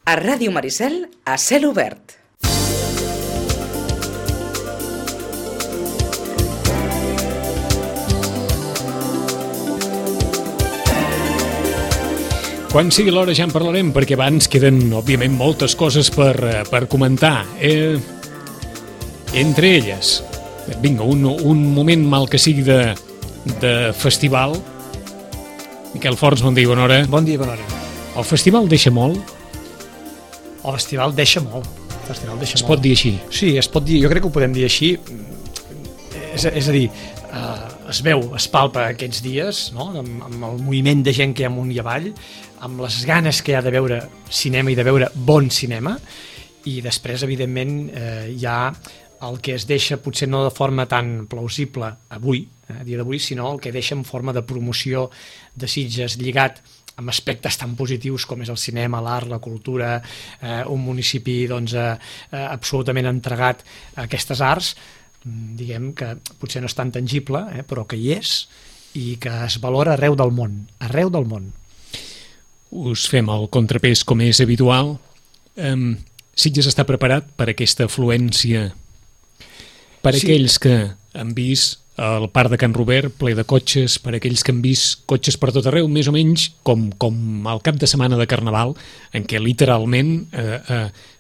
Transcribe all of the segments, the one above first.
A Ràdio Maricel, a cel obert. Quan sigui l'hora ja en parlarem, perquè abans queden, òbviament, moltes coses per comentar. Entre elles, vinga, un moment mal que sigui de festival. Miquel Forns, bon dia i bona hora. Bon dia i bona hora. El festival deixa molt? El festival deixa molt. Es pot dir així? Sí, es pot dir, jo crec que ho podem dir així. És a dir, es veu, es palpa aquests dies, no? Amb el moviment de gent que hi ha amunt i avall, amb les ganes que hi ha de veure cinema i de veure bon cinema, i després, evidentment, hi ha el que es deixa, potser no de forma tan plausible avui, a dia d'avui, sinó el que deixa en forma de promoció de Sitges lligat amb aspectes tan positius com és el cinema, l'art, la cultura, un municipi doncs, absolutament entregat a aquestes arts, diguem que potser no és tan tangible, però que hi és i que es valora arreu del món, arreu del món. Us fem el contrapès com és habitual. Sitges està preparat per aquesta afluència? Per aquells que han vist el parc de Can Robert ple de cotxes, per aquells que han vist cotxes per tot arreu, més o menys com el cap de setmana de Carnaval, en què literalment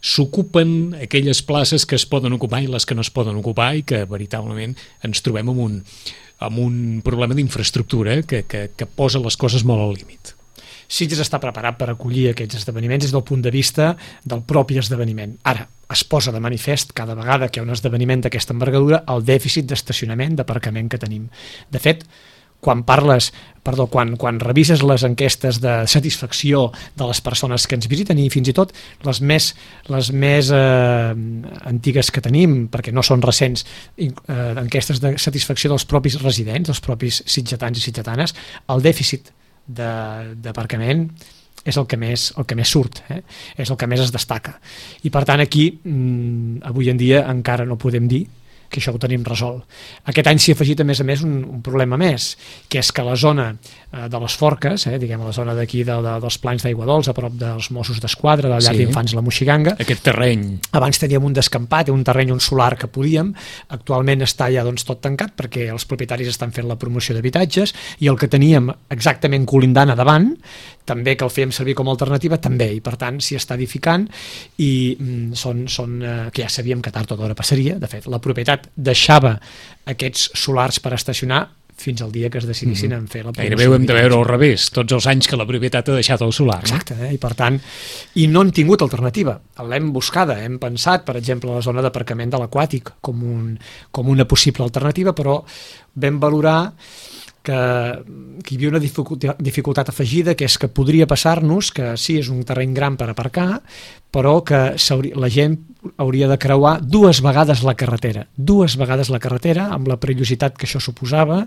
s'ocupen aquelles places que es poden ocupar i les que no es poden ocupar, i que veritablement ens trobem amb un problema d'infraestructura que posa les coses molt al límit. Sitges està preparat per acollir aquests esdeveniments des del punt de vista del propi esdeveniment. Ara, es posa de manifest cada vegada que hi ha un esdeveniment d'aquesta envergadura el dèficit d'estacionament, d'aparcament que tenim. De fet, quan revises les enquestes de satisfacció de les persones que ens visiten, i fins i tot les més antigues que tenim, perquè no són recents, enquestes de satisfacció dels propis residents, dels propis sitgetans i sitgetanes, el dèficit d'aparcament és el que més surt, és el que més es destaca. I per tant aquí, avui en dia encara no podem dir que això ho tenim resolt. Aquest any s'hi ha afegit a més un problema més, que és que la zona de les Forques, diguem la zona d'aquí dels Plans d'Aigua Dols, a prop dels Mossos d'Esquadra, de la llar d'infants La Moixiganga, aquest terreny. Abans teníem un descampat, un terreny, un solar que podíem, actualment està ja tot tancat perquè els propietaris estan fent la promoció d'habitatges, i el que teníem exactament colindant a davant, també que el fèiem servir com a alternativa, també, i per tant s'hi està edificant, i que ja sabíem que tard o d'hora passaria. De fet, la propietat deixava aquests solars per estacionar fins al dia que es decidissin en fer la promoció. Gairebé ho hem de veure al revés, tots els anys que la propietat ha deixat el solar. Exacte, i per tant, i no hem tingut alternativa, l'hem buscada, hem pensat, per exemple, la zona d'aparcament de l'Aquàtic com una possible alternativa, però vam valorar que hi havia una dificultat afegida, que és que podria passar-nos que sí, és un terreny gran per aparcar, però que la gent hauria de creuar dues vegades la carretera, amb la perillositat que això suposava.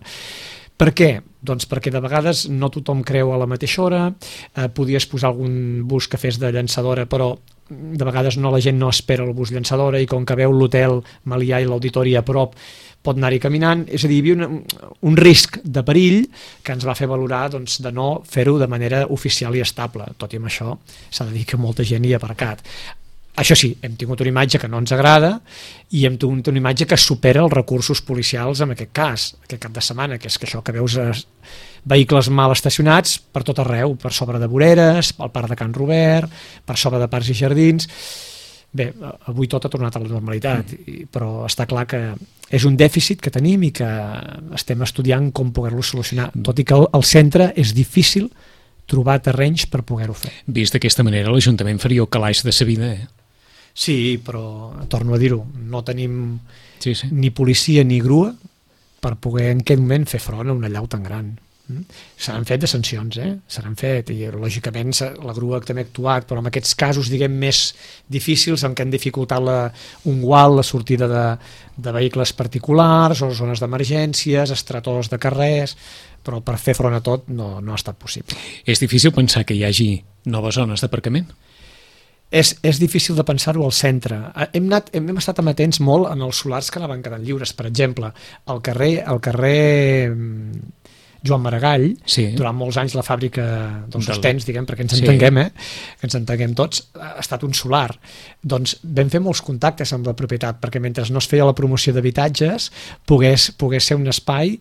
Per què? Doncs perquè de vegades no tothom creu a la mateixa hora, podies posar algun bus que fes de llançadora, però de vegades la gent no espera el bus llançadora, i com que veu l'hotel Melià i l'auditori a prop, pot anar-hi caminant. És a dir, hi havia un risc de perill que ens va fer valorar de no fer-ho de manera oficial i estable. Tot i amb això s'ha de dir que molta gent hi ha aparcat. Això sí, hem tingut una imatge que no ens agrada, i hem tingut una imatge que supera els recursos policials en aquest cas, aquest cap de setmana, que és que això que veus vehicles mal estacionats per tot arreu, per sobre de voreres, al parc de Can Robert, per sobre de parcs i jardins. Bé, avui tot ha tornat a la normalitat, però està clar que és un dèficit que tenim i que estem estudiant com poder-lo solucionar, tot i que al centre és difícil trobar terrenys per poder-ho fer. Vist d'aquesta manera, l'Ajuntament faria el calaix de sa vida, Sí, però torno a dir-ho, no tenim ni policia ni grua per poder en aquest moment fer front a una allau tan gran. S'han fet de sancions, s'han fet, i lògicament la grua també ha actuat, però en aquests casos, diguem, més difícils, en què han dificultat un gual, la sortida de vehicles particulars o zones d'emergències, estretors de carrers, però per fer front a tot no ha estat possible. És difícil pensar que hi hagi noves zones d'aparcament? És difícil de pensar-ho al centre. Hem estat amatents molt en els solars que anaven quedant lliures. Per exemple, al carrer Joan Maragall, Sí. durant molts anys la fàbrica dels Del- sostens, diguem, perquè ens Sí. entenguem, que ens entenguem tots, ha estat un solar. Doncs vam fer molts contactes amb la propietat, perquè mentre no es feia la promoció d'habitatges, pogués ser un espai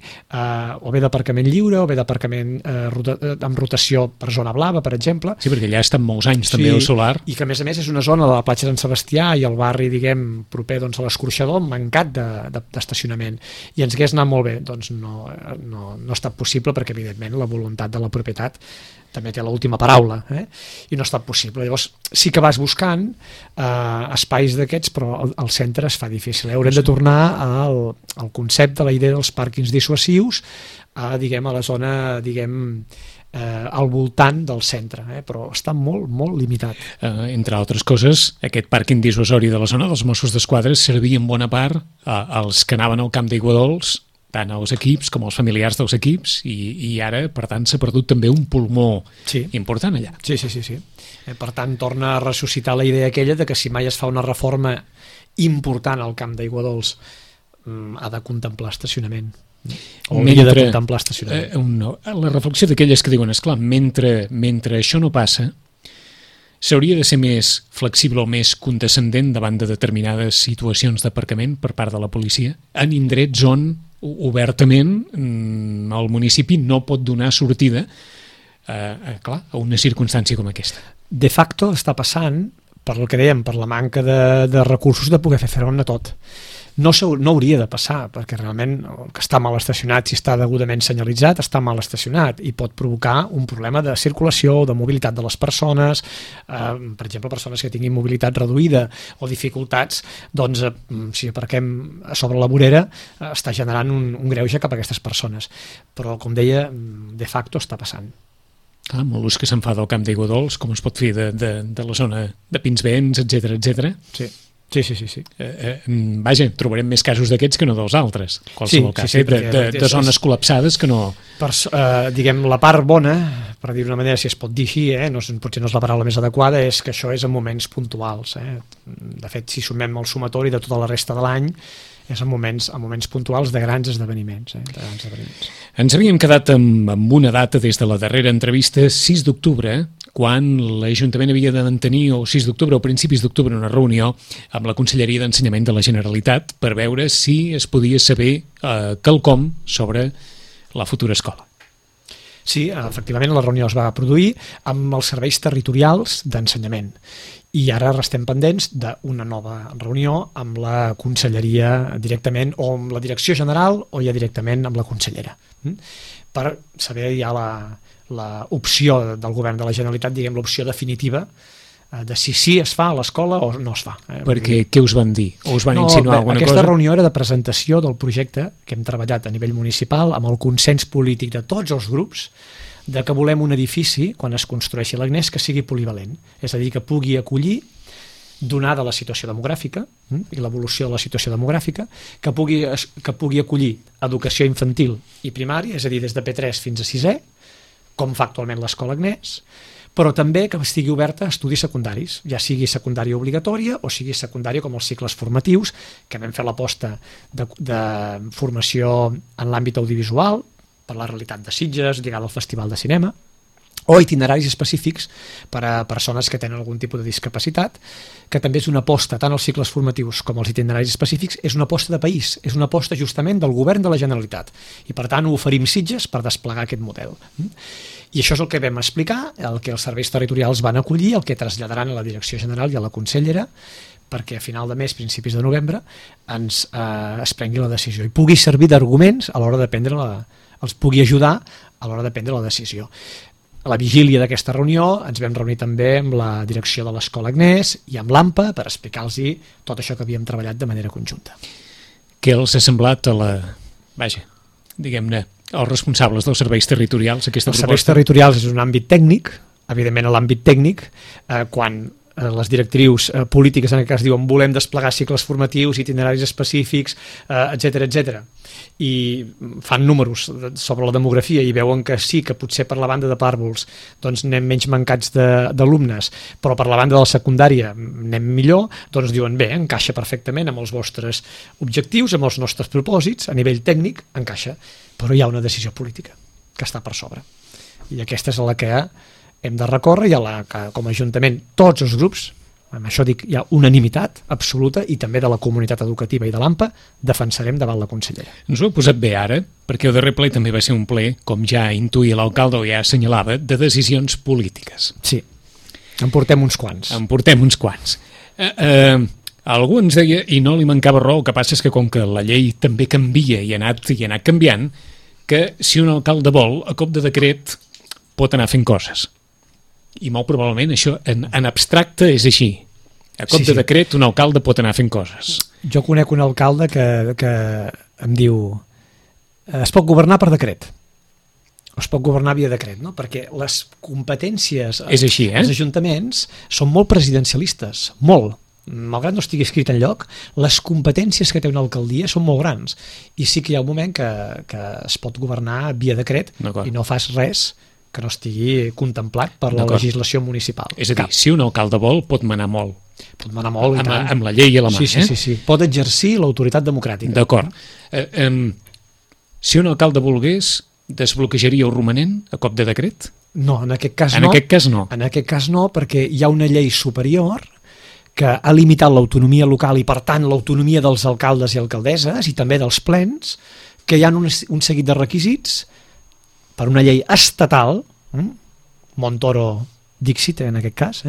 o bé d'aparcament lliure, o bé d'aparcament amb rotació per zona blava, per exemple. Sí, perquè allà ha estat molts anys també el solar. I que a més és una zona de la platja d'en Sebastià i el barri, diguem, proper doncs, a l'Escorxador, mancat d'estacionament. I ens hagués anat molt bé. Doncs no ha estat possible, perquè evidentment la voluntat de la propietat també té l'última paraula, i no ha estat possible. Llavors sí que vas buscant espais d'aquests, però al centre es fa difícil. Haurem de tornar al concepte, a la idea dels pàrquings dissuasius, a la zona, al voltant del centre, però està molt, molt limitat. Entre altres coses, aquest pàrquing dissuasori de la zona dels Mossos d'Esquadra servia en bona part als que anaven al camp d'Aiguadols, tant els equips com els familiars dels equips, i ara, per tant, s'ha perdut també un pulmó important allà. Sí. Per tant, torna a ressuscitar la idea aquella de que si mai es fa una reforma important al camp d'Aiguadols, ha de contemplar estacionament. Hauria de contemplar estacionament. La reflexió d'aquelles que diuen, esclar, mentre això no passa, s'hauria de ser més flexible o més condescendent davant de determinades situacions d'aparcament per part de la policia, en indrets on obertament el municipi no pot donar sortida a una circumstància com aquesta. De facto està passant, per el que dèiem, per la manca de recursos de poder fer front a tot. No hauria de passar, perquè realment el que està mal estacionat, si està degudament senyalitzat, està mal estacionat i pot provocar un problema de circulació o de mobilitat de les persones, per exemple, persones que tinguin mobilitat reduïda o dificultats, doncs si aparquem sobre la vorera està generant un greuge cap a aquestes persones. Però, com deia, de facto està passant. Molts que se'n fa del camp d'Aiguadols, com es pot fer de la zona de Pinsbens, etc. Sí. Vaja, trobarem més casos d'aquests que no dels altres. Qualsevol cas, de zones col·lapsades que no... La part bona, per dir d'una manera, si es pot dir així, potser no és la paraula més adequada, és que això és en moments puntuals. De fet, si sumem el sumatori de tota la resta de l'any, és en moments puntuals de grans esdeveniments. Ens havíem quedat amb una data des de la darrera entrevista, 6 d'octubre, quan l'Ajuntament havia de mantenir, o 6 d'octubre o principis d'octubre, una reunió amb la Conselleria d'Ensenyament de la Generalitat per veure si es podia saber quelcom sobre la futura escola. Sí, efectivament la reunió es va produir amb els serveis territorials d'ensenyament. I ara restem pendents d'una nova reunió amb la Conselleria directament, o amb la Direcció General, o ja directament amb la consellera, per saber ja l'opció del Govern de la Generalitat, diguem l'opció definitiva de si sí es fa a l'escola o no es fa. Perquè què us van dir? O us van insinuar alguna cosa? Aquesta reunió era de presentació del projecte que hem treballat a nivell municipal amb el consens polític de tots els grups, de que volem un edifici, quan es construeixi l'Agnès, que sigui polivalent, és a dir, que pugui acollir, donada la situació demogràfica i l'evolució de la situació demogràfica, que pugui acollir educació infantil i primària, és a dir, des de P3 fins a 6è, com fa actualment l'escola Agnès, però també que estigui oberta a estudis secundaris, ja sigui secundària obligatòria o sigui secundària com els cicles formatius, que vam fer l'aposta de formació en l'àmbit audiovisual, per la realitat de Sitges, lligada al Festival de Cinema, o itineraris específics per a persones que tenen algun tipus de discapacitat, que també és una aposta, tant els cicles formatius com els itineraris específics, és una aposta de país, és una aposta justament del Govern de la Generalitat, i per tant ho oferim Sitges per desplegar aquest model. I això és el que vam explicar, el que els serveis territorials van acollir, el que traslladaran a la Direcció General i a la consellera, perquè a final de mes, principis de novembre, es prengui la decisió i pugui servir d'arguments a l'hora de prendre els pugui ajudar a l'hora de prendre la decisió. A la vigília d'aquesta reunió ens vam reunir també amb la direcció de l'Escola Agnès i amb l'AMPA per explicar-los tot això que havíem treballat de manera conjunta. Què els ha semblat diguem-ne, els responsables dels serveis territorials aquesta proposta? Els serveis territorials és un àmbit tècnic, evidentment a l'àmbit tècnic, quan les directrius polítiques en aquest cas diuen volem desplegar cicles formatius, itineraris específics, etc. I fan números sobre la demografia i veuen que sí, que potser per la banda de pàrvuls doncs anem menys mancats d'alumnes, però per la banda de la secundària anem millor, doncs diuen bé, encaixa perfectament amb els vostres objectius, amb els nostres propòsits, a nivell tècnic encaixa, però hi ha una decisió política. que està per sobre. I aquesta és la que hem de recórrer i a la que, com a Ajuntament, tots els grups, amb això dic, hi ha unanimitat absoluta i també de la comunitat educativa i de l'AMPA, defensarem davant la consellera. Ens ho he posat bé ara, perquè el darrer ple també va ser un ple, com ja intuïa l'alcalde o ja assenyalava, de decisions polítiques. Sí, en portem uns quants. En portem uns quants. Algú ens deia, i no li mancava raó, el que passa és que com que la llei també canvia i ha anat canviant, que si un alcalde vol, a cop de decret, pot anar fent coses. I molt probablement això en abstracte és així. A cop de decret un alcalde pot anar fent coses. Jo conec un alcalde que em diu es pot governar per decret. Es pot governar via decret, no? Perquè les competències és així, dels ajuntaments són molt presidencialistes, molt. Malgrat no estigui escrit enlloc, les competències que té una alcaldia són molt grans. I sí que hi ha un moment que es pot governar via decret i no fas res que no estigui contemplat per la legislació municipal. És a dir, si un alcalde vol, pot manar molt. Pot manar molt, i tant. Amb la llei a la mà. Sí. Pot exercir l'autoritat democràtica. D'acord. Si un alcalde volgués, desbloquejaria el romanent a cop de decret? No, en aquest cas no. En aquest cas no. En aquest cas no, perquè hi ha una llei superior que ha limitat l'autonomia local i, per tant, l'autonomia dels alcaldes i alcaldesses i també dels plens, que hi ha un seguit de requisits per una llei estatal, Montoro Dixit en aquest cas,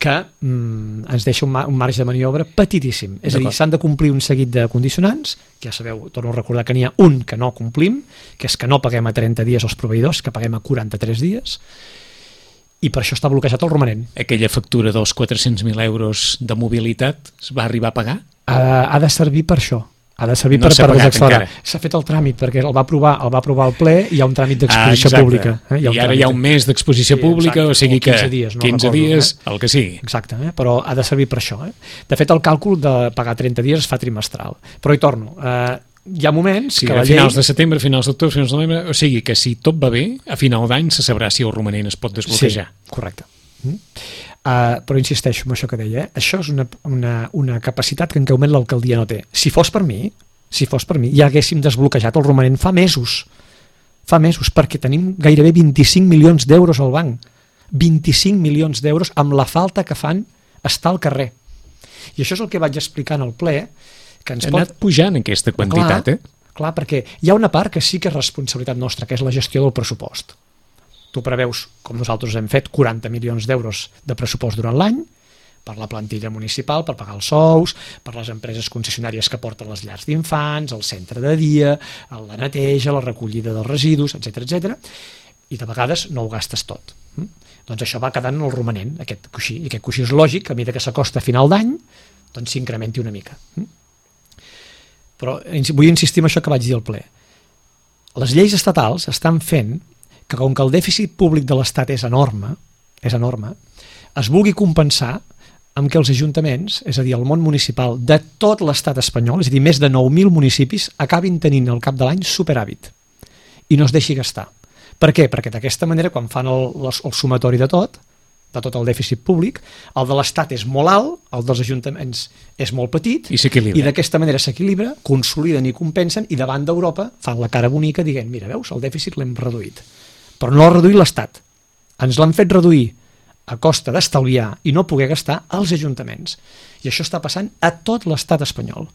que ens deixa un marge de maniobra petitíssim. És a dir, s'han de complir un seguit de condicionants, que ja sabeu, torno a recordar que n'hi ha un que no complim, que és que no paguem a 30 dies als proveïdors, que paguem a 43 dies, i per això està bloquejat el romanent. Aquella factura dels 400.000 euros de mobilitat es va arribar a pagar? Ha de servir per això. Ha de servir no per desacelerar. S'ha fet el tràmit perquè el va aprovar el ple i hi ha un tràmit d'exposició pública. I ara hi ha un mes d'exposició pública, o sigui que 15 dies, el que sigui. Exacte, però ha de servir per això. De fet, el càlcul de pagar 30 dies es fa trimestral. Però hi torno, hi ha moments que la llei... finals de setembre, finals d'octubre, finals de novembre, o sigui que si tot va bé, a final d'any se sabrà si el romanent es pot desbloquejar. Sí, correcte. Però insisteixo en això que deia, això és una capacitat que en aquest moment l'alcaldia no té. Si fos per mi, ja haguéssim desbloquejat el romanent fa mesos, perquè tenim gairebé 25 milions d'euros al banc, 25 milions d'euros amb la falta que fan estar al carrer. I això és el que vaig explicar en el ple, que ens ha anat pujant aquesta quantitat, Clar, perquè hi ha una part que sí que és responsabilitat nostra, que és la gestió del pressupost. Tu preveus, com nosaltres hem fet, 40 milions d'euros de pressupost durant l'any per la plantilla municipal, per pagar els sous, per les empreses concessionàries que porten les llars d'infants, el centre de dia, la neteja, la recollida dels residus, etc. I de vegades no ho gastes tot. Doncs això va quedant en el romanent, aquest coixí. I aquest coixí és lògic, a mesura que s'acosta a final d'any, doncs s'incrementi una mica. Però vull insistir en això que vaig dir al ple. Les lleis estatals estan fent que com que el dèficit públic de l'Estat és enorme, es vulgui compensar amb que els ajuntaments, és a dir, el món municipal de tot l'Estat espanyol, és a dir, més de 9.000 municipis, acabin tenint al cap de l'any superàvit i no es deixi gastar. Per què? Perquè d'aquesta manera, quan fan el sumatori de tot el dèficit públic, el de l'Estat és molt alt, el dels ajuntaments és molt petit, i d'aquesta manera s'equilibra, consoliden i compensen, i davant d'Europa fan la cara bonica dient, mira, veus, el dèficit l'hem reduït. Però no l'ha reduït l'Estat. Ens l'han fet reduir a costa d'estalviar i no poder gastar als ajuntaments. I això està passant a tot l'Estat espanyol.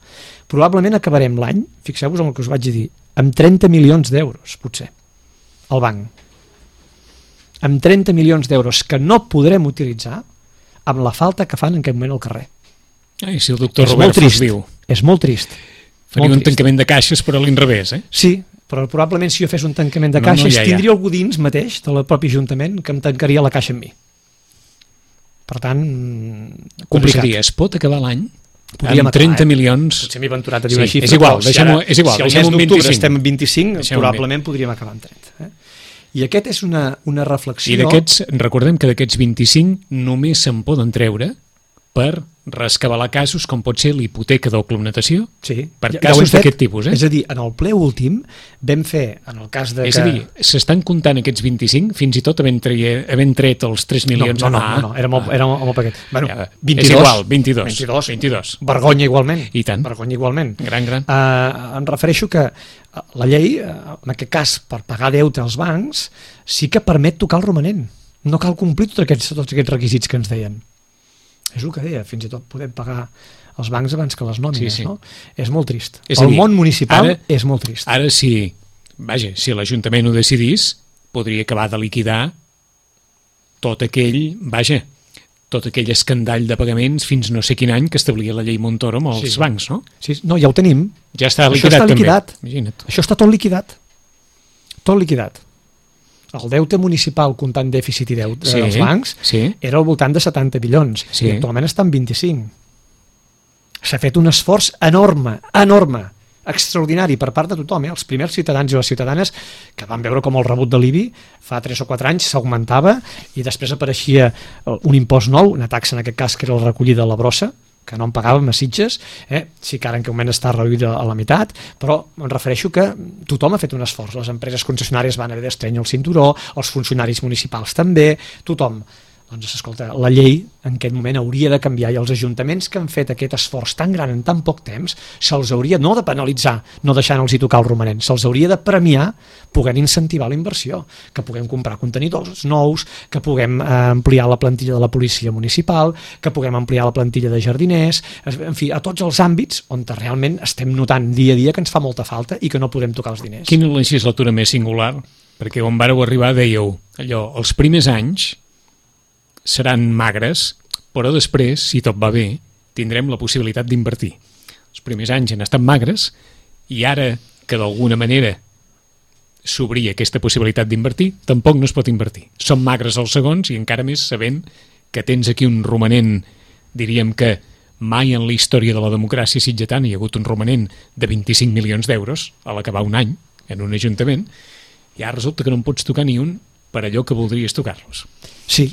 Probablement acabarem l'any, fixeu-vos en el que us vaig dir, amb 30 milions d'euros, potser, al banc. Amb 30 milions d'euros que no podrem utilitzar amb la falta que fan en aquest moment al carrer. Si el doctor Robert fos viu. És molt trist. Faria un tancament de caixes per a l'inrevés, Sí, però probablement si jo fes un tancament de caixes tindria algú dins mateix del propi Ajuntament que em tancaria la caixa amb mi. Per tant, complicat. Es pot acabar l'any amb 30 milions... Potser m'he aventurat a dir una xifra, és igual, deixem un 25. Si al mes d'octubre estem en 25, probablement podríem acabar amb 30. I aquest és una reflexió... I recordem que d'aquests 25 només se'n poden treure per rescabalar casos com pot ser l'hipoteca d'oclumnatació Sí. per Ja ho casos hem fet. d'aquest tipus. És a dir, en el ple últim vam fer, en el cas de És a dir, s'estan comptant aquests 25, fins i tot havent tret els 3 milions. No, era molt paquet. Bueno, Ja, 22. és igual, 22. Vergonya igualment. I tant. Vergonya igualment. Gran. Em refereixo que la llei, en aquest cas, per pagar deute als bancs, sí que permet tocar el romanent. No cal complir tots aquests requisits que ens deien. És el que deia, fins i tot podem pagar els bancs abans que les nòmines, Sí. no? És molt trist. És a El dir, món municipal ara- és molt trist. Ara si l'Ajuntament ho decidís, podria acabar de liquidar tot aquell escandall de pagaments fins no sé quin any que establia la llei Montoro amb els bancs, no? Sí, no, ja ho tenim. Ja està Això liquidat, està liquidat. també. Imagina't. Això està tot liquidat. Tot liquidat. El deute municipal comptant dèficit i deute dels bancs era al voltant de 70 milions i actualment està en 25. S'ha fet un esforç enorme, extraordinari per part de tothom. Els primers ciutadans i les ciutadanes que van veure com el rebut de l'IBI fa 3 o 4 anys s'augmentava i després apareixia un impost nou, una taxa en aquest cas que era la recollida de la brossa, que no en pagàvem a Sitges, sí que ara en aquest moment està reduïda a la meitat, però em refereixo que tothom ha fet un esforç, les empreses concessionàries van haver d'estrènyer el cinturó, els funcionaris municipals també, tothom. Doncs, escolta, la llei en aquest moment hauria de canviar i els ajuntaments que han fet aquest esforç tan gran en tan poc temps se'ls hauria no de penalitzar, no deixant-los tocar el romanent, se'ls hauria de premiar podent incentivar la inversió, que puguem comprar contenidors nous, que puguem ampliar la plantilla de la policia municipal, que puguem ampliar la plantilla de jardiners, en fi, a tots els àmbits on realment estem notant dia a dia que ens fa molta falta i que no podem tocar els diners. Quina legislatura més singular? Perquè on vàreu arribar dèieu allò, els primers anys seran magres, però després, si tot va bé, tindrem la possibilitat d'invertir. Els primers anys han estat magres i ara que d'alguna manera s'obria aquesta possibilitat d'invertir, tampoc no es pot invertir. Són magres els segons i encara més sabent que tens aquí un romanent, diríem que mai en la història de la democràcia sitgetana hi ha hagut un romanent de 25 milions d'euros a l'acabar un any en un ajuntament, i ara resulta que no en pots tocar ni un per allò que voldries tocar-los. Sí,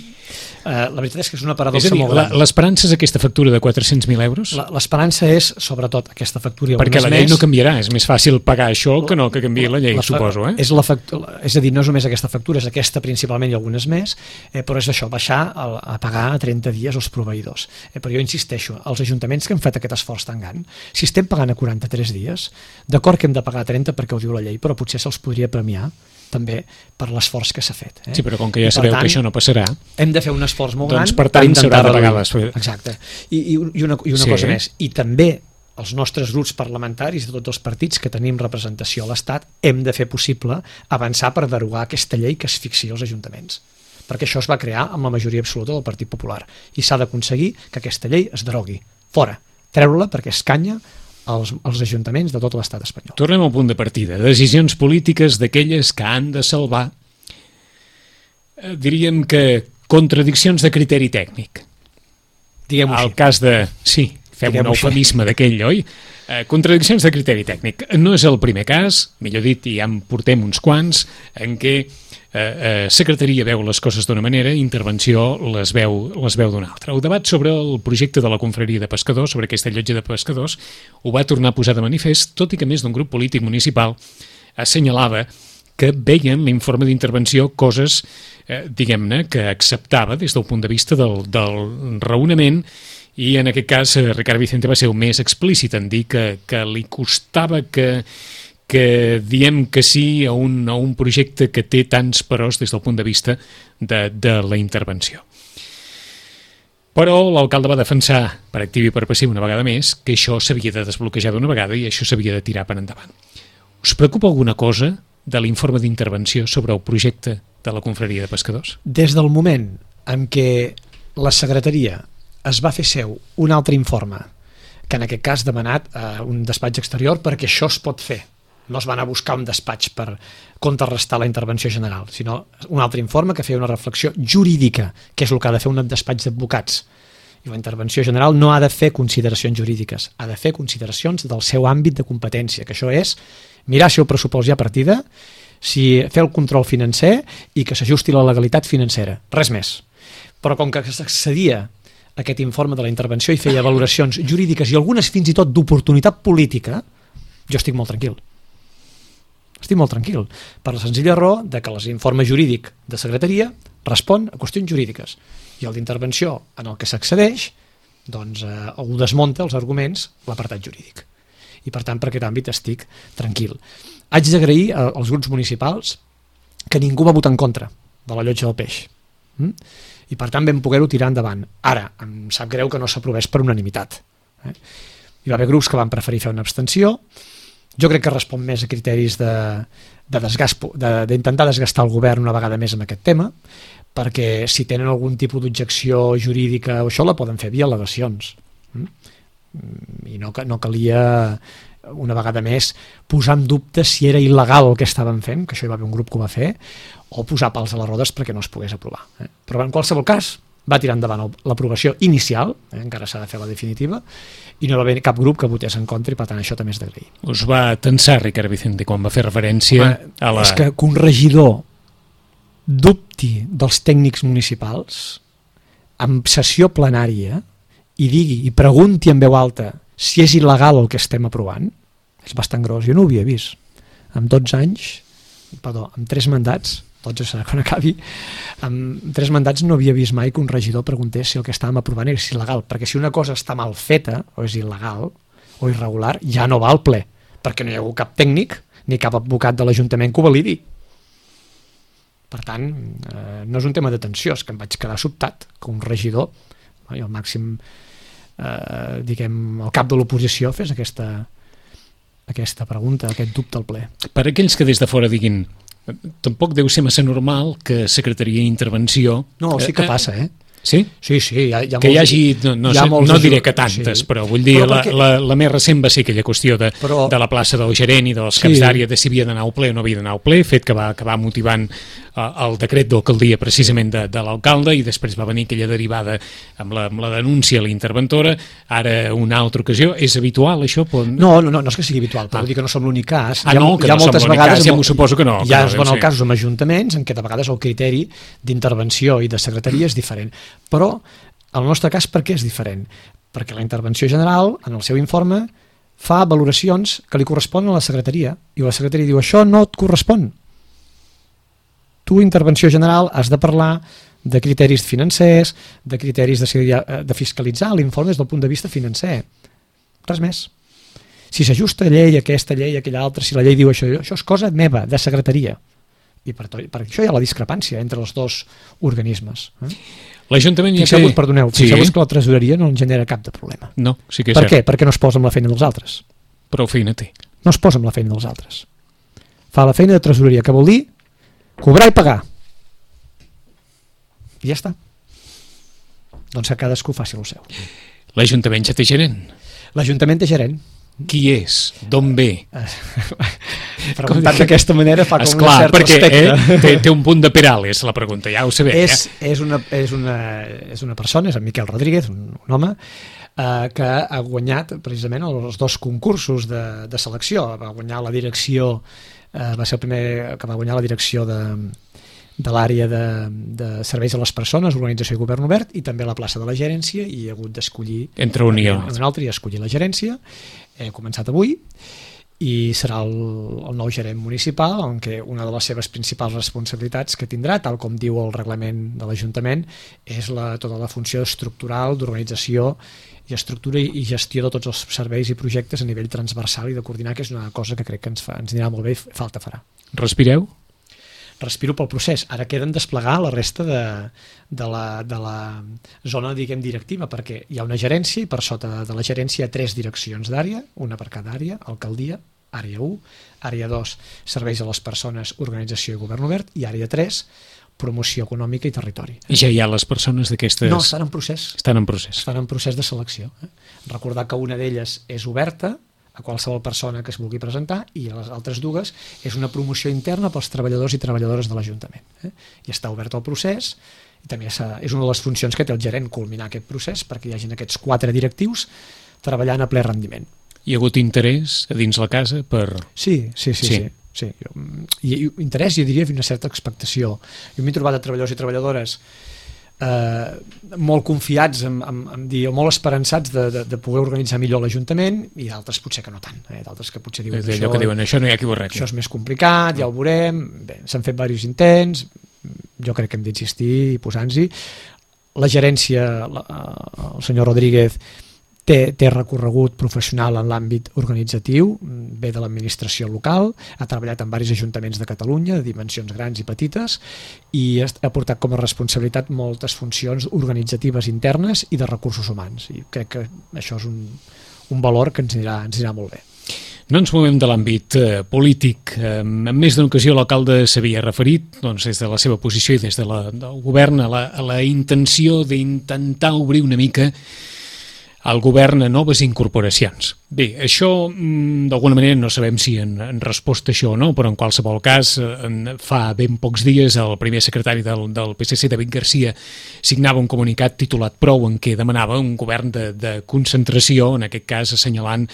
la veritat és que és una És paradoxa a dir, molt gran. l'esperança és aquesta factura de 400.000 euros? L'esperança és, sobretot, aquesta factura i Perquè algunes la llei més. no canviarà, és més fàcil pagar això que no que canviï la llei, suposo. És a dir, no és només aquesta factura, és aquesta principalment i algunes més, però és això, baixar a pagar a 30 dies els proveïdors. Però jo insisteixo, els ajuntaments que han fet aquest esforç tan gran, si estem pagant a 43 dies, d'acord que hem de pagar a 30 perquè ho diu la llei, però potser se'ls podria premiar també per l'esforç que s'ha fet. Sí, però com que ja sabeu que això no passarà, hem de fer un esforç molt gran per tant s'haurà de pagar les... Exacte. I una cosa més, i també els nostres grups parlamentaris de tots els partits que tenim representació a l'Estat hem de fer possible avançar per derogar aquesta llei que asfixia els ajuntaments, perquè això es va crear amb la majoria absoluta del Partit Popular i s'ha d'aconseguir que aquesta llei es derogui, fora, treure-la perquè escanya als ajuntaments de tot l'estat espanyol. Tornem al punt de partida. Decisions polítiques d'aquelles que han de salvar, diríem que contradiccions de criteri tècnic. Diguem-ho així. El cas de... Sí, fem un eufemisme d'aquell, oi? Contradiccions de criteri tècnic. No és el primer cas, millor dit, ja en portem uns quants, en què secretaria veu les coses d'una manera, intervenció les veu d'una altra. El debat sobre el projecte de la confraria de pescadors, sobre aquesta llotja de pescadors, ho va tornar a posar de manifest, tot i que més d'un grup polític municipal assenyalava que veien l'informe d'intervenció coses, diguem-ne, que acceptava des del punt de vista del raonament, i en aquest cas Ricard Vicente va ser el més explícit en dir que li costava que diem que sí a un projecte que té tants peròs des del punt de vista de la intervenció. Però l'alcalde va defensar per activa i per passiva una vegada més que això s'havia de desbloquejar d'una vegada i això s'havia de tirar per endavant. Us preocupa alguna cosa de l'informe d'intervenció sobre el projecte de la confraria de pescadors? Des del moment en què la secretaria es va fer seu un altre informe, que en aquest cas demanat a un despatx exterior perquè això es pot fer, no es va anar a buscar un despatx per contrarrestar la intervenció general, sinó un altre informe que feia una reflexió jurídica, que és el que ha de fer un despatx d'advocats. I la intervenció general no ha de fer consideracions jurídiques, ha de fer consideracions del seu àmbit de competència, que això és mirar si el pressupost hi ha partida, si fer el control financer i que s'ajusti la legalitat financera, res més. Però com que s'accedia aquest informe de la intervenció i feia valoracions jurídiques i algunes fins i tot d'oportunitat política, jo estic molt tranquil. Estic molt tranquil, per la senzilla raó de que l'informe jurídic de secretaria respon a qüestions jurídiques i el d'intervenció en el que s'accedeix doncs ho desmunta els arguments l'apartat jurídic. I per tant per aquest àmbit estic tranquil. Haig d'agrair als grups municipals que ningú va votar en contra de la llotja del peix. I per tant vam poder-ho tirar endavant. Ara, em sap greu que no s'aprovés per unanimitat. Hi va haver grups que van preferir fer una abstenció. Jo crec que respon més a criteris d'intentar desgastar el govern una vegada més amb aquest tema, perquè si tenen algun tipus d'objecció jurídica o això la poden fer via al·legacions. I no calia una vegada més posar en dubte si era il·legal el que estaven fent, que això hi va haver un grup que ho va fer, o posar pals a les rodes perquè no es pogués aprovar. Però en qualsevol cas va tirar endavant l'aprovació inicial, encara s'ha de fer la definitiva, i no va haver cap grup que votés en contra i per tant això també és d'agrair. Us va tensar Ricard Vicente quan va fer referència a la... És que un regidor dubti dels tècnics municipals en sessió plenària i digui i pregunti en veu alta si és il·legal el que estem aprovant, és bastant gros. Jo no ho havia vist. Amb 3 mandats, 12 serà quan acabi, amb 3 mandats no havia vist mai que un regidor preguntés si el que estàvem aprovant és il·legal, perquè si una cosa està mal feta o és il·legal o irregular, ja no va al ple, perquè no hi ha hagut cap tècnic ni cap advocat de l'Ajuntament que ho validi. Per tant, no és un tema de tensió, és que em vaig quedar sobtat que un regidor, i el màxim el cap de l'oposició fes aquesta pregunta, aquest dubte al ple. Per aquells que des de fora diguin tampoc deu ser massa normal que Secretaria d'Intervenció... No, sí que passa, Sí? Sí, hi ha que hi hagi, no diré que tantes, però vull dir, la més recent va ser aquella qüestió de la plaça del gerent i dels caps d'àrea de si havia d'anar al ple o no havia d'anar al ple, fet que va acabar motivant el decret d'alcaldia precisament de l'alcalde, i després va venir aquella derivada amb la denúncia a la interventora. Ara una altra ocasió. És habitual això? No és que sigui habitual, però vull dir que no som l'únic cas. Que no som l'únic cas, ja m'ho suposo que no. Hi ha casos amb ajuntaments en què de vegades el criteri d'intervenció i de secretaria és diferent. Però el nostre cas per què és diferent? Perquè la intervenció general, en el seu informe, fa valoracions que li corresponen a la secretaria, i la secretaria diu això no et correspon. Tu, intervenció general, has de parlar de criteris financers, de criteris de fiscalitzar l'informe des del punt de vista financer. Res més. Si s'ajusta llei, aquesta llei, aquella altra, si la llei diu això és cosa meva, de secretaria. I per això hi ha la discrepància entre els dos organismes. L'Ajuntament... Fixeu-vos que la tresoreria no en genera cap de problema. No, sí que és cert. Per què? Perquè no es posa amb la feina dels altres. Prou feina té. No es posa amb la feina dels altres. Fa la feina de tresoreria, que vol dir cobrar i pagar. I ja està. Doncs que cadascú faci el seu. L'Ajuntament ja té gerent? L'Ajuntament té gerent. Qui és? D'on ve? Preguntat d'aquesta manera fa com un cert respecte. Té un punt de Perales, la pregunta, ja ho sabem. És una persona, és en Miquel Rodríguez, un home, que ha guanyat precisament els 2 concursos de selecció. Va guanyar la direcció, va ser el primer que va guanyar la direcció de l'àrea de serveis a les persones, organització i govern obert, i també la plaça de la gerència, i ha hagut d'escollir entre un i altre i escollir la gerència. He començat avui i serà el nou gerent municipal, en què una de les seves principals responsabilitats que tindrà, tal com diu el reglament de l'Ajuntament, és tota la funció estructural d'organització i estructura i gestió de tots els serveis i projectes a nivell transversal i de coordinar, que és una cosa que crec que ens anirà molt bé i falta farà. Respireu? Respiro pel procés. Ara queden desplegar la resta de la zona, diguem, directiva, perquè hi ha una gerència i per sota de la gerència hi ha 3 direccions d'àrea, una per cada àrea: alcaldia, àrea 1, àrea 2, serveis a les persones, organització i govern obert, i àrea 3, promoció econòmica i territori. I ja hi ha les persones d'aquestes... No, estan en procés. Estan en procés. Estan en procés de selecció. Recordar que una d'elles és oberta a qualsevol persona que es vulgui presentar, i les altres 2 és una promoció interna pels treballadors i treballadores de l'Ajuntament. I està obert el procés, i també és una de les funcions que té el gerent, culminar aquest procés perquè hi hagin aquests 4 directius treballant a ple rendiment. Hi ha hagut interès a dins la casa per... Sí. I interès, jo diria, una certa expectació. Jo m'he trobat de treballadors i treballadores molt confiats o molt esperançats de poder organitzar millor l'Ajuntament, i d'altres potser que no tant, d'altres que potser diuen allò que diuen, això no hi ha qui ho arregli. Això és més complicat, ja ho veurem. Bé, s'han fet diversos intents, jo crec que hem d'insistir i posar-nos-hi. La gerència, el senyor Rodríguez, té recorregut professional en l'àmbit organitzatiu, ve de l'administració local, ha treballat en diversos ajuntaments de Catalunya, de dimensions grans i petites, i ha portat com a responsabilitat moltes funcions organitzatives internes i de recursos humans. I crec que això és un valor que ens anirà molt bé. No ens movem de l'àmbit polític. En més d'una ocasió l'alcalde s'havia referit, doncs, des de la seva posició i des del govern a la intenció d'intentar obrir una mica el govern a noves incorporacions. Bé, això d'alguna manera no sabem si en resposta a això o no, però en qualsevol cas fa ben pocs dies el primer secretari del PSC, David Garcia, signava un comunicat titulat Prou, en què demanava un govern de concentració, en aquest cas assenyalant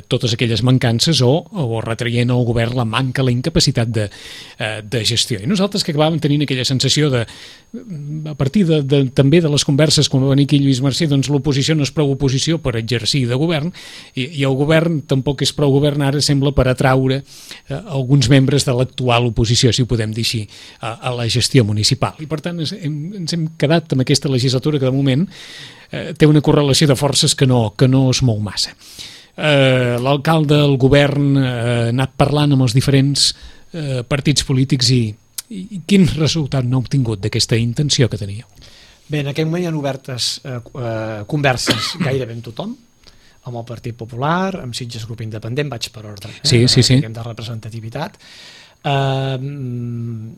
totes aquelles mancances o retraient al govern la manca, la incapacitat de gestió. I nosaltres que acabàvem tenint aquella sensació a partir també de les converses quan va venir aquí Lluís Mercè, doncs l'oposició no és prou oposició per exercir de govern i el govern tampoc és prou govern ara, sembla, per atraure alguns membres de l'actual oposició, si ho podem dir així, a la gestió municipal. I per tant ens hem quedat amb aquesta legislatura que de moment té una correlació de forces que no es mou massa. L'alcalde, el govern, ha anat parlant amb els diferents partits polítics i quin resultat n'ha obtingut d'aquesta intenció que teníeu? Bé, en aquest moment hi ha obertes converses gairebé amb tothom, amb el Partit Popular, amb Sitges Grup Independent, vaig per ordre, sí. de representativitat, amb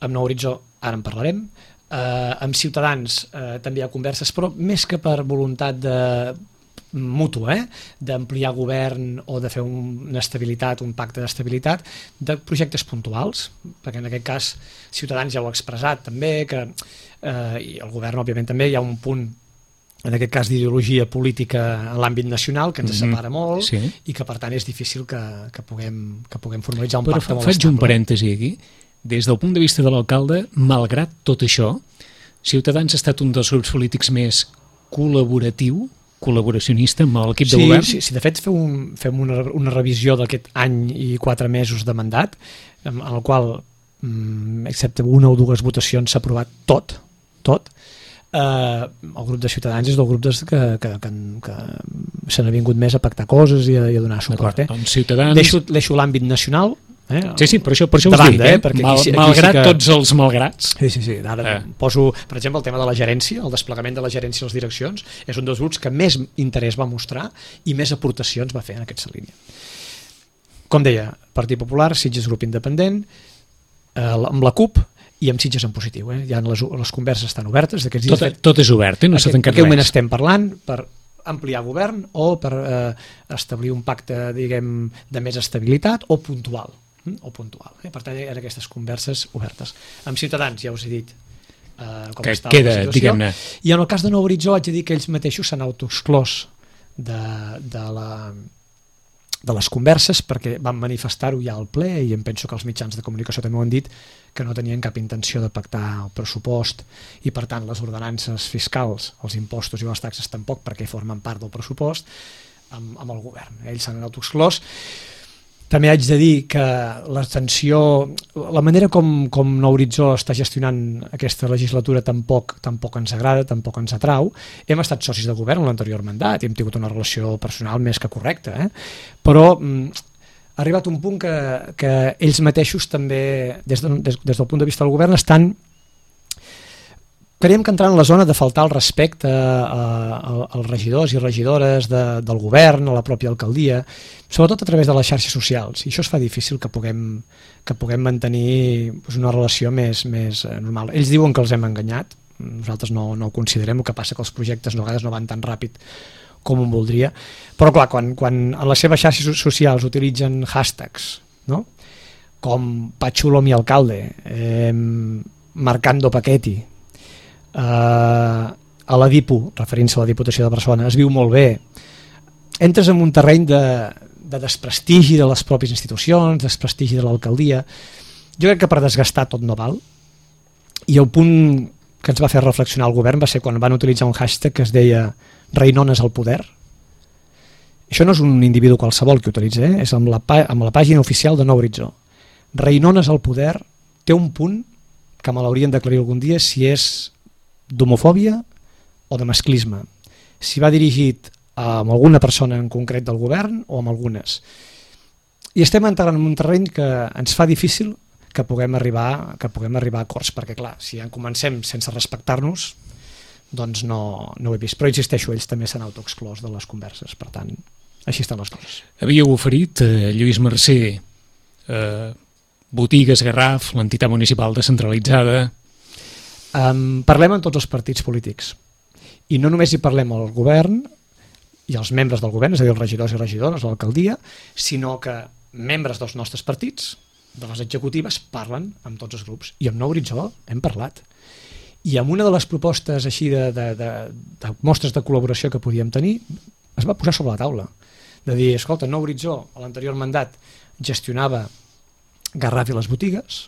Nou Horitzó, ara en parlarem, amb Ciutadans també hi ha converses, però més que per voluntat mútua, d'ampliar govern o de fer una estabilitat, un pacte d'estabilitat, de projectes puntuals, perquè en aquest cas Ciutadans ja ho ha expressat també, i el govern òbviament també, hi ha un punt en aquest cas d'ideologia política en l'àmbit nacional que ens separa molt i que per tant és difícil que puguem formalitzar un pacte molt estable. Faig un parèntesi aquí. Des del punt de vista de l'alcalde, malgrat tot això, Ciutadans ha estat un dels grups polítics més col·laboracionista amb l'equip de govern? Sí, de fet fem una revisió d'aquest any i 4 mesos de mandat, en el qual, excepte una o dues votacions, s'ha aprovat tot. El grup de Ciutadans és del grup que se n'ha vingut més a pactar coses i a donar suport. Doncs Ciutadans... Deixo l'àmbit nacional. Sí, per això us dic, malgrat tots els malgrats. Sí, ara poso, per exemple, el tema de la gerència, el desplegament de la gerència a les direccions, és un dels grups que més interès va mostrar i més aportacions va fer en aquesta línia. Com deia, Partit Popular, Sitges Grup Independent, amb la CUP, i amb Sitges en positiu. Ja les converses estan obertes. Tot és obert, no s'ha tancat res. En aquest moment estem parlant per ampliar govern o per establir un pacte, diguem, de més estabilitat o puntual. Per tant, hi ha aquestes converses obertes. Amb Ciutadans, ja us he dit com que està queda, la situació. Diguem-ne. I en el cas de Nou Horitzó haig de dir que ells mateixos s'han autoexclòs de les converses perquè van manifestar-ho ja al ple i em penso que els mitjans de comunicació també ho han dit, que no tenien cap intenció de pactar el pressupost i per tant les ordenances fiscals, els impostos i les taxes tampoc, perquè formen part del pressupost amb el govern. Ells s'han autoexclòs. També haig de dir que la manera com Nou Horitzó està gestionant aquesta legislatura tampoc ens agrada, tampoc ens atrau. Hem estat socis de govern en l'anterior mandat i hem tingut una relació personal més que correcta, però ha arribat un punt que ells mateixos també, des del punt de vista del govern, creiem que entrar en la zona de faltar el respecte als regidors i regidores del govern, a la pròpia alcaldia, sobretot a través de les xarxes socials, i això es fa difícil que puguem mantenir una relació més normal. Ells diuen que els hem enganyat, nosaltres no ho considerem, el que passa que els projectes a vegades no van tan ràpid com un voldria, però clar, quan en les seves xarxes socials utilitzen hashtags, no? Com Pachulo mi alcalde, Marcando Paquetti, a la DIPU, referint-se a la Diputació de Barcelona, es viu molt bé, entres en un terreny de desprestigi de les pròpies institucions, desprestigi de l'alcaldia. Jo crec que per desgastar tot no val, i el punt que ens va fer reflexionar el govern va ser quan van utilitzar un hashtag que es deia Reinones al poder. Això no és un individu qualsevol que utilitza, és amb la pàgina oficial de Nou Horitzó. Reinones al poder té un punt que me l'haurien d'aclarir algun dia si és d'homofòbia o de masclisme, si va dirigit a alguna persona en concret del govern o amb algunes. I estem entrant en un terreny que ens fa difícil que puguem arribar a acords, perquè clar, si ja comencem sense respectar-nos, doncs no ho he vist. Però insisteixo, ells també s'han autoexclòs de les converses, per tant, així estan les coses. Havíeu oferit a Lluís Mercè Botigues Garraf, l'entitat municipal descentralitzada. Parlem amb tots els partits polítics. I no només hi parlem al govern i als membres del govern, és a dir, els regidors i regidores, l'alcaldia, sinó que membres dels nostres partits, de les executives, parlen amb tots els grups. I amb Nou Horitzó hem parlat. I amb una de les propostes així de mostres de col·laboració que podíem tenir, es va posar sobre la taula. De dir, escolta, Nou Horitzó, a l'anterior mandat, gestionava Garraf i les botigues,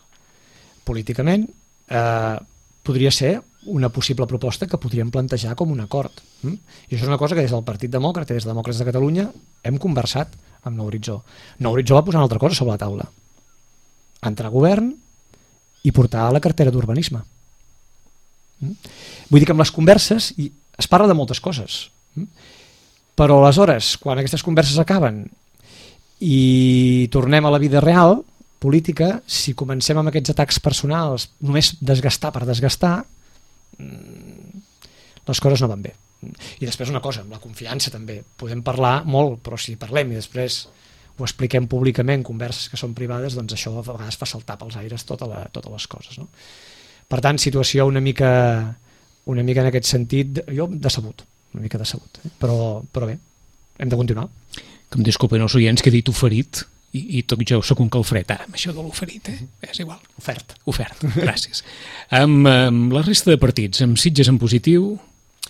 políticament, podria ser una possible proposta que podríem plantejar com un acord. I això és una cosa que des del Partit Demòcrata, des de Demòcrates de Catalunya, hem conversat amb Nou Horitzó. Nou Horitzó va posar una altra cosa sobre la taula. Entrar a govern i portar a la cartera d'urbanisme. Vull dir que amb les converses es parla de moltes coses. Però aleshores, quan aquestes converses acaben i tornem a la vida real, política, si comencem amb aquests atacs personals, només desgastar per desgastar, les coses no van bé. I després una cosa, amb la confiança també. Podem parlar molt, però si parlem i després ho expliquem públicament, converses que són privades, doncs això a vegades fa saltar pels aires totes les coses. No? Per tant, situació una mica en aquest sentit, jo decebut, una mica decebut. Però bé, hem de continuar. Que em disculpen els oients que he dit oferit, i tot jo sóc un calfred ara amb això de l'oferit, és igual. Ofert, gràcies. Amb la resta de partits, amb Sitges en positiu?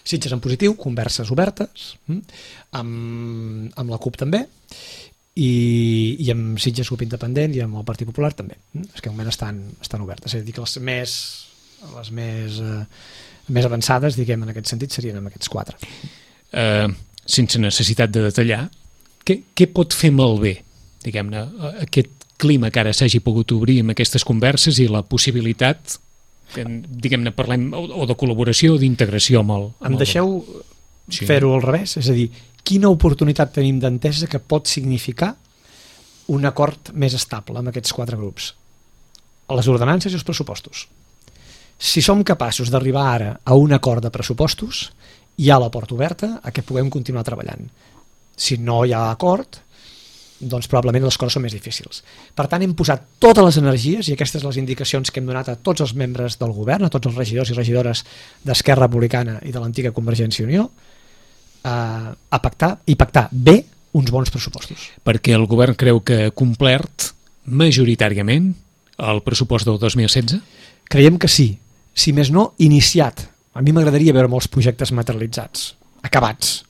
Sitges en positiu, converses obertes, amb la CUP també, i amb Sitges CUP Independent i amb el Partit Popular també. És que al moment estan obertes. És a dir, que les més avançades, diguem, en aquest sentit, serien amb aquests 4. Sense necessitat de detallar, què pot fer malbé, diguem-ne, aquest clima que ara s'hagi pogut obrir amb aquestes converses i la possibilitat que, diguem-ne, parlem o de col·laboració o d'integració amb el... Em deixeu fer-ho al revés? És a dir, quina oportunitat tenim d'entesa que pot significar un acord més estable amb aquests 4 grups? Les ordenances i els pressupostos. Si som capaços d'arribar ara a un acord de pressupostos, hi ha la porta oberta a que puguem continuar treballant. Si no hi ha acord, doncs probablement les coses són més difícils. Per tant, hem posat totes les energies, i aquestes les indicacions que hem donat a tots els membres del govern, a tots els regidors i regidores d'Esquerra Republicana i de l'antiga Convergència i Unió, a pactar bé uns bons pressupostos. Perquè el govern creu que ha complert majoritàriament el pressupost del 2016? Creiem que sí. Si més no, iniciat. A mi m'agradaria veure molts projectes materialitzats, acabats,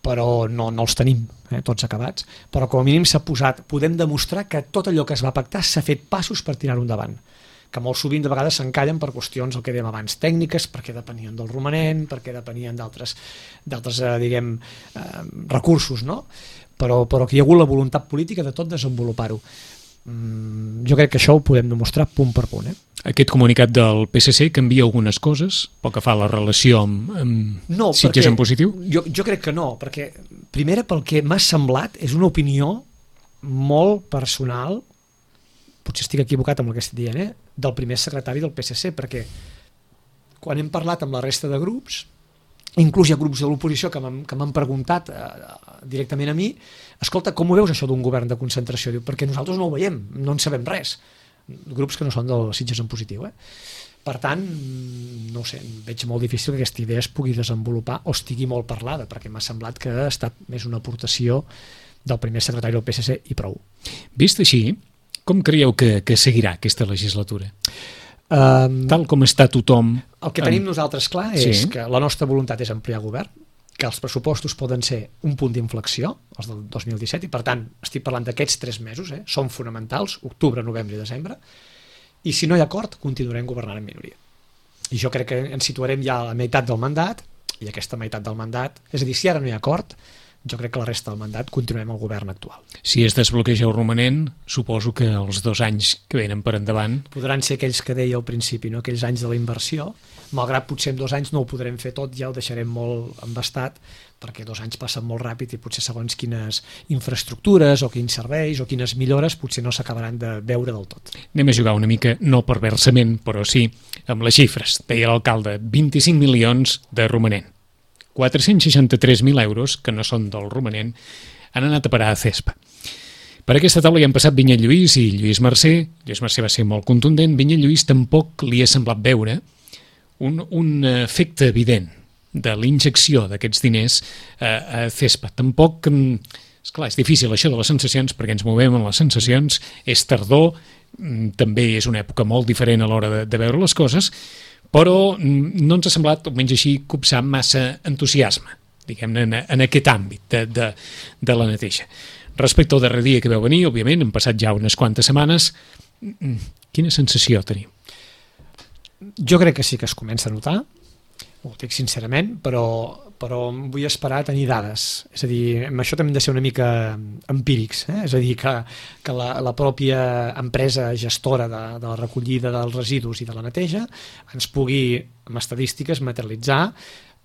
però no els tenim tots acabats, però com a mínim s'ha posat, podem demostrar que tot allò que es va pactar s'ha fet passos per tirar-ho endavant, que molt sovint de vegades s'encallen per qüestions, el que dèiem abans, tècniques, perquè depenien del romanent, perquè depenien d'altres diguem, recursos, no? Però que hi ha hagut la voluntat política de tot desenvolupar-ho. Jo crec que això ho podem demostrar punt per punt. Aquest comunicat del PSC canvia algunes coses pel que fa a la relació amb Sitges en positiu? Jo crec que no, perquè primera pel que m'ha semblat és una opinió molt personal, potser estic equivocat amb el que estic dient, del primer secretari del PSC, perquè quan hem parlat amb la resta de grups, inclús hi ha grups de l'oposició que m'han preguntat directament a mi, escolta, com ho veus això d'un govern de concentració? Diu, perquè nosaltres no ho veiem, no en sabem res. Grups que no són del Sitges en positiu. Per tant, no sé, veig molt difícil que aquesta idea es pugui desenvolupar o estigui molt parlada, perquè m'ha semblat que ha estat més una aportació del primer secretari del PSC i prou. Vist així, com creieu que seguirà aquesta legislatura? Tal com està tothom... El que tenim nosaltres clar és que la nostra voluntat és ampliar govern, que els pressupostos poden ser un punt d'inflexió, els del 2017, i per tant estic parlant d'aquests 3 mesos, són fonamentals, octubre, novembre i desembre, i si no hi ha acord continuarem governant en minoria. I jo crec que ens situarem ja a la meitat del mandat, i aquesta meitat del mandat, és a dir, si ara no hi ha acord, jo crec que la resta del mandat continuem al govern actual. Si es desbloqueja el romanent, suposo que els 2 anys que venen per endavant... Podran ser aquells que deia al principi, no? Aquells anys de la inversió, malgrat potser en 2 anys no ho podrem fer tot, ja ho deixarem molt embastat, perquè 2 anys passen molt ràpid i potser segons quines infraestructures o quins serveis o quines millores potser no s'acabaran de veure del tot. Anem a jugar una mica, no perversament, però sí amb les xifres. Deia l'alcalde, 25 milions de romanent. 463.000 euros, que no són del romanent, han anat a parar a CESPA. Per aquesta taula hi han passat Vinyet Lluís i Lluís Mercè. Lluís Mercè va ser molt contundent. Vinyet Lluís tampoc li ha semblat veure un efecte evident de l'injecció d'aquests diners a CESPA. Tampoc, esclar, és difícil això de les sensacions, perquè ens movem en les sensacions, és tardor, també és una època molt diferent a l'hora de veure les coses, però no ens ha semblat, almenys així, copsar massa entusiasme, diguem-ne, en aquest àmbit de la neteja. Respecte al darrer dia que veu venir, òbviament, han passat ja unes quantes setmanes, quina sensació tenim? Jo crec que sí que es comença a notar, ho dic sincerament, però vull esperar a tenir dades. És a dir, amb això també hem de ser una mica empírics, és a dir, que la pròpia empresa gestora de la recollida dels residus i de la neteja ens pugui, amb estadístiques, materialitzar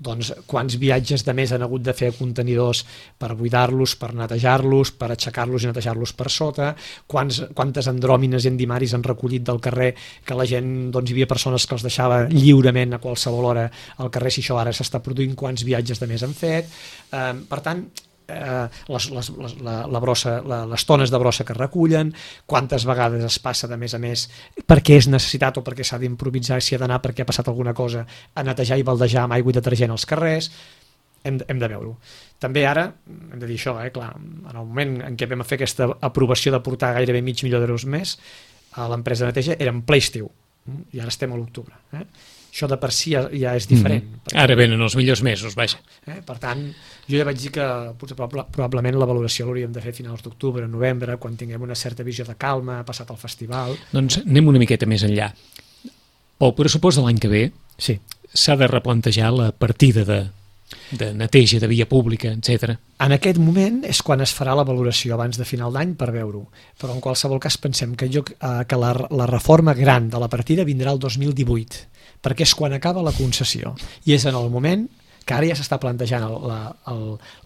doncs, quants viatges de més han hagut de fer a contenidors per buidar-los, per netejar-los, per aixecar-los i netejar-los per sota, quantes andròmines i endimaris han recollit del carrer, que la gent, doncs hi havia persones que els deixava lliurement a qualsevol hora al carrer, si això ara s'està produint, quants viatges de més han fet. Per tant, les tones de brossa que es recullen, quantes vegades es passa de més a més perquè és necessitat o perquè s'ha d'improvisar, si ha d'anar perquè ha passat alguna cosa, a netejar i baldejar amb aigua i detergent als carrers. Hem de veure-ho. També ara, hem de dir això, clar, en el moment en què vam fer aquesta aprovació de portar gairebé $500.000 més a l'empresa de neteja, era en ple estiu, i ara estem a l'octubre. Això de per si ja és diferent. Ara venen els millors mesos, vaja. Per tant, jo ja vaig dir que potser probablement la valoració l'hauríem de fer a finals d'octubre, novembre, quan tinguem una certa visió de calma, passat el festival. Doncs anem una miqueta més enllà. Pel pressupost de l'any que ve s'ha de replantejar la partida de neteja, de via pública, etc. En aquest moment és quan es farà la valoració abans de final d'any per veure-ho, però en qualsevol cas pensem que la reforma gran de la partida vindrà el 2018, perquè és quan acaba la concessió i és en el moment que ara ja s'està plantejant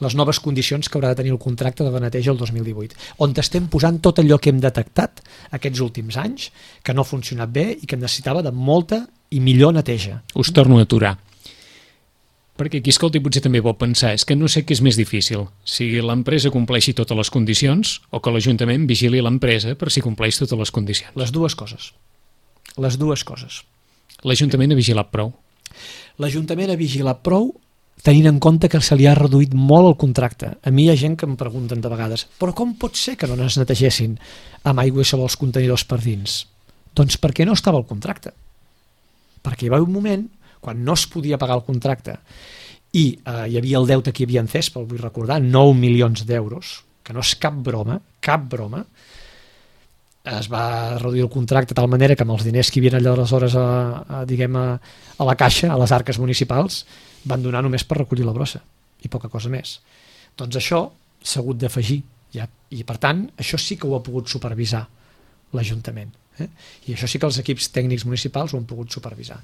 les noves condicions que haurà de tenir el contracte de la neteja el 2018, on estem posant tot allò que hem detectat aquests últims anys, que no ha funcionat bé i que necessitava de molta i millor neteja. Us torno a aturar. Perquè aquí, escolta, potser també pot pensar, és que no sé què és més difícil, si l'empresa compleixi totes les condicions o que l'Ajuntament vigili l'empresa per si compleix totes les condicions. Les dues coses. Les dues coses. L'Ajuntament ha vigilat prou? L'Ajuntament ha vigilat prou tenint en compte que se li ha reduït molt el contracte. A mi hi ha gent que em pregunten de vegades, però com pot ser que no es netegessin amb aigua i sabó els contenidors per dins? Doncs perquè no estava el contracte. Perquè hi va haver un moment quan no es podia pagar el contracte i hi havia el deute que hi havia en CESPA, el vull recordar, 9 milions d'euros, que no és cap broma, es va reduir el contracte de tal manera que amb els diners que hi havia aleshores a la caixa, a les arques municipals, van donar només per recollir la brossa i poca cosa més. Doncs això s'ha hagut d'afegir i per tant això sí que ho ha pogut supervisar l'Ajuntament. I això sí que els equips tècnics municipals ho han pogut supervisar.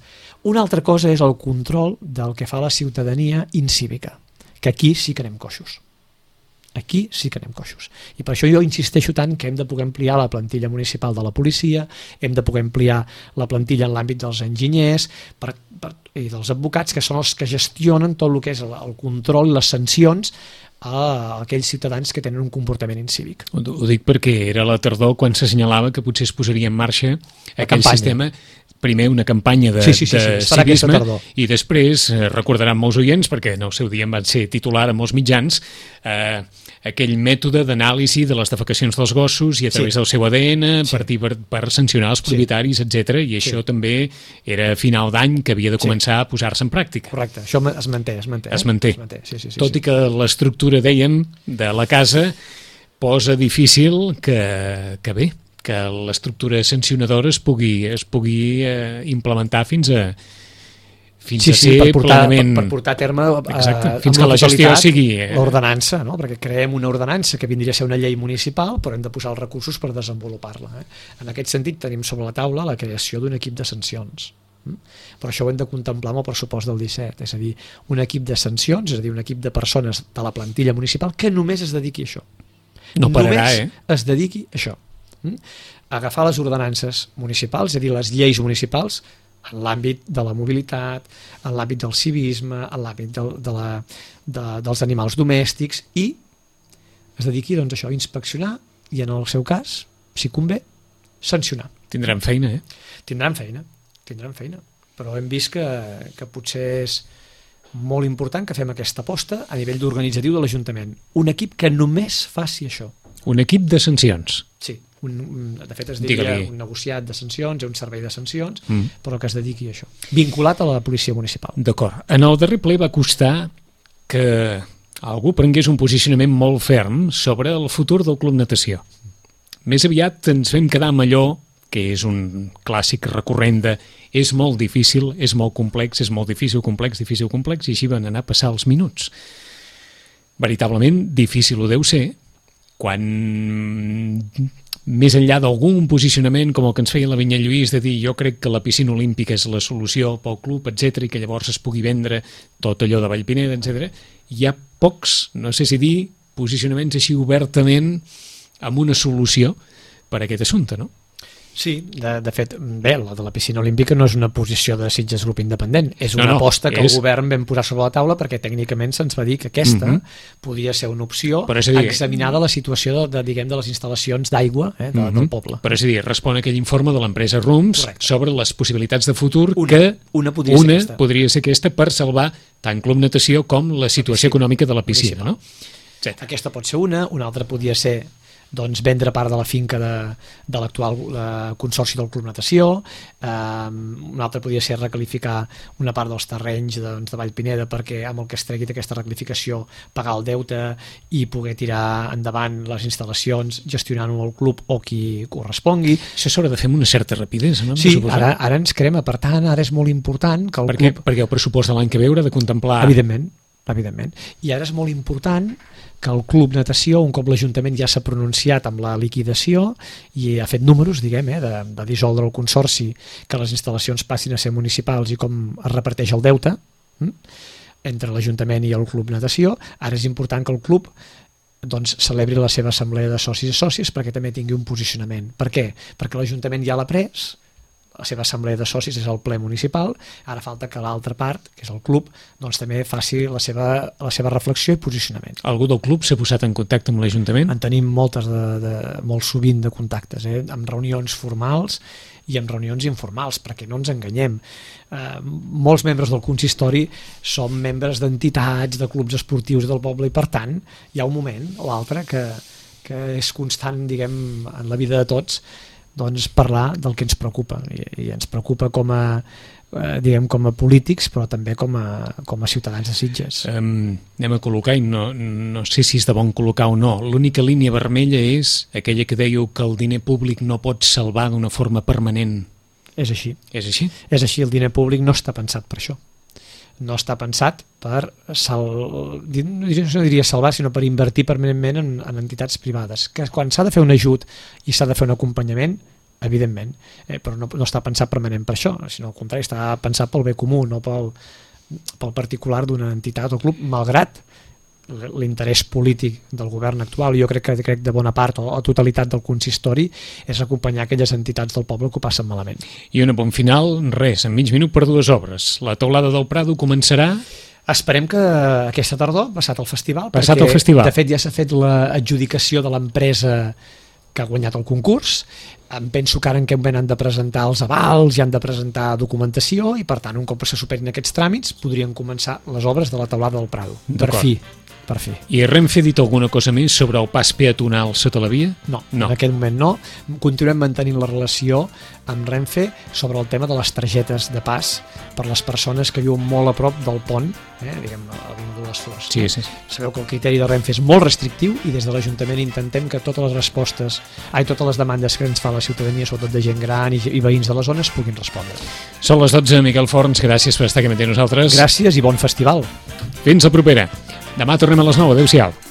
Una altra cosa és el control del que fa la ciutadania incívica, que aquí sí que anem coixos. Aquí sí que anem coixos. I per això jo insisteixo tant que hem de poder ampliar la plantilla municipal de la policia, hem de poder ampliar la plantilla en l'àmbit dels enginyers i dels advocats, que són els que gestionen tot el que és el control i les sancions a aquells ciutadans que tenen un comportament incívic. Ho dic perquè era la tardor quan s'assenyalava que potser es posaria en marxa aquell sistema, primer una campanya de civisme i després, recordaran molts oients, perquè en el seu dia en van ser titular a molts mitjans, aquell mètode d'anàlisi de les defecacions dels gossos i a través del seu ADN per sancionar els propietaris, etc. I això també era a final d'any que havia de començar a posar-se en pràctica. Correcte, això es manté. Es manté. Tot i que l'estructura, dèiem, de la casa posa difícil que bé, que l'estructura sancionadora es pugui implementar fins fins a ser plenament... per portar a terme fins que la gestió sigui... l'ordenança, no? Perquè creem una ordenança que vindria a ser una llei municipal, però hem de posar els recursos per desenvolupar-la. En aquest sentit tenim sobre la taula la creació d'un equip de sancions. Però això ho hem de contemplar amb el pressupost del 17, és a dir, un equip de sancions, és a dir, un equip de persones de la plantilla municipal que només es dediqui a això. No pararà, només es dediqui a això. Agafar les ordenances municipals, és a dir, les lleis municipals, en l'àmbit de la mobilitat, en l'àmbit del civisme, en l'àmbit dels animals domèstics, i es dediqui doncs, a això, a inspeccionar i, en el seu cas, si convé, sancionar. Tindran feina, Tindran feina, però hem vist que potser és molt important que fem aquesta aposta a nivell d'organitzatiu de l'Ajuntament. Un equip que només faci això. Un equip de sancions. Sí, de fet es diria un negociat de sancions, un servei de sancions, però que es dediqui a això, vinculat a la policia municipal. D'acord. En el darrer ple va costar que algú prengués un posicionament molt ferm sobre el futur del Club Natació. Més aviat ens vam quedar amb allò que és un clàssic recurrent de és molt difícil, és molt complex, és molt difícil, complex, i així van anar a passar els minuts. Veritablement difícil ho deu ser, quan més enllà d'algun posicionament com el que ens feia la Vinyet Lluís de dir jo crec que la piscina olímpica és la solució pel club, etc, i que llavors es pugui vendre tot allò de Vallpineda, etc, hi ha pocs, no sé si dir, posicionaments així obertament amb una solució per a aquest assumpte, no? Sí, de fet, bé, la de la piscina olímpica no és una posició de Sitges Grup Independent, és una aposta que el govern vam posar sobre la taula perquè tècnicament se'ns va dir que aquesta podia ser una opció examinada la situació de les instal·lacions d'aigua del poble. Però és a dir, respon a aquell informe de l'empresa RUMS sobre les possibilitats de futur una podria ser aquesta per salvar tant Club Natació com la situació econòmica de la piscina, no? Aquesta pot ser una altra podria ser vendre part de la finca de l'actual consorci del Club Natació, una altra podria ser recalificar una part dels terrenys de Vallpineda perquè amb el que es tregui d'aquesta recalificació pagar el deute i poder tirar endavant les instal·lacions gestionant-ho el club o qui correspongui. Això s'haurà de fer amb una certa rapidesa, no? Sí, ara ens crema, per tant, ara és molt important que el club... Perquè el pressupost de l'any que ve haurà de contemplar... Evidentment. I ara és molt important que el Club Natació, un cop l'Ajuntament ja s'ha pronunciat amb la liquidació i ha fet números, de dissoldre el consorci, que les instal·lacions passin a ser municipals i com es reparteix el deute entre l'Ajuntament i el Club Natació, ara és important que el club celebri la seva assemblea de socis i sòcies perquè també tingui un posicionament. Per què? Perquè l'Ajuntament ja l'ha pres, la seva assemblea de socis és el ple municipal, ara falta que l'altra part, que és el club, també faci la seva reflexió i posicionament. Algú del club s'ha posat en contacte amb l'Ajuntament? En tenim molt sovint de contactes, amb reunions formals i amb reunions informals, perquè no ens enganyem. Molts membres del consistori som membres d'entitats, de clubs esportius del poble i per tant hi ha un moment o l'altre que és constant, en la vida de tots, parlar del que ens preocupa i ens preocupa com a polítics però també com a ciutadans de Sitges. Anem a col·locar i no sé si és de bon col·locar o no, l'única línia vermella és aquella que dèieu que el diner públic no pot salvar d'una forma permanent. És així. És així? És així, el diner públic no està pensat per això. No està pensat per no diria salvar, sinó per invertir permanentment en entitats privades, que quan s'ha de fer un ajut i s'ha de fer un acompanyament, evidentment, però no està pensat permanent per això, sinó al contrari, està pensat pel bé comú, no pel particular d'una entitat o club, malgrat l'interès polític del govern actual. Jo crec de bona part o totalitat del consistori és acompanyar aquelles entitats del poble que ho passen malament. I un apunt final, res, en mig minut per 2 obres. La teulada del Prado començarà... Esperem que aquesta tardor, passat el festival, de fet ja s'ha fet l'adjudicació de l'empresa que ha guanyat el concurs. Em penso que ara en aquest moment han de presentar els avals i han de presentar documentació i per tant un cop se superin aquests tràmits podrien començar les obres de la teulada del Prado. Per fi. per fer. I Renfe ha dit alguna cosa més sobre el pas peatonal sota la via? No, en aquest moment no. Continuem mantenint la relació amb Renfe sobre el tema de les targetes de pas per les persones que viuen molt a prop del pont, diguem, a l'Avinguda de les Flors. Sí, sí. Sabeu que el criteri de Renfe és molt restrictiu i des de l'Ajuntament intentem que totes les demandes que ens fa la ciutadania, sobretot de gent gran i veïns de la zona, es puguin respondre. Són les 12, Miquel Forns, gràcies per estar aquí amb nosaltres. Gràcies i bon festival. Fins la propera. Demà tornem a les 9. Adéu-siau.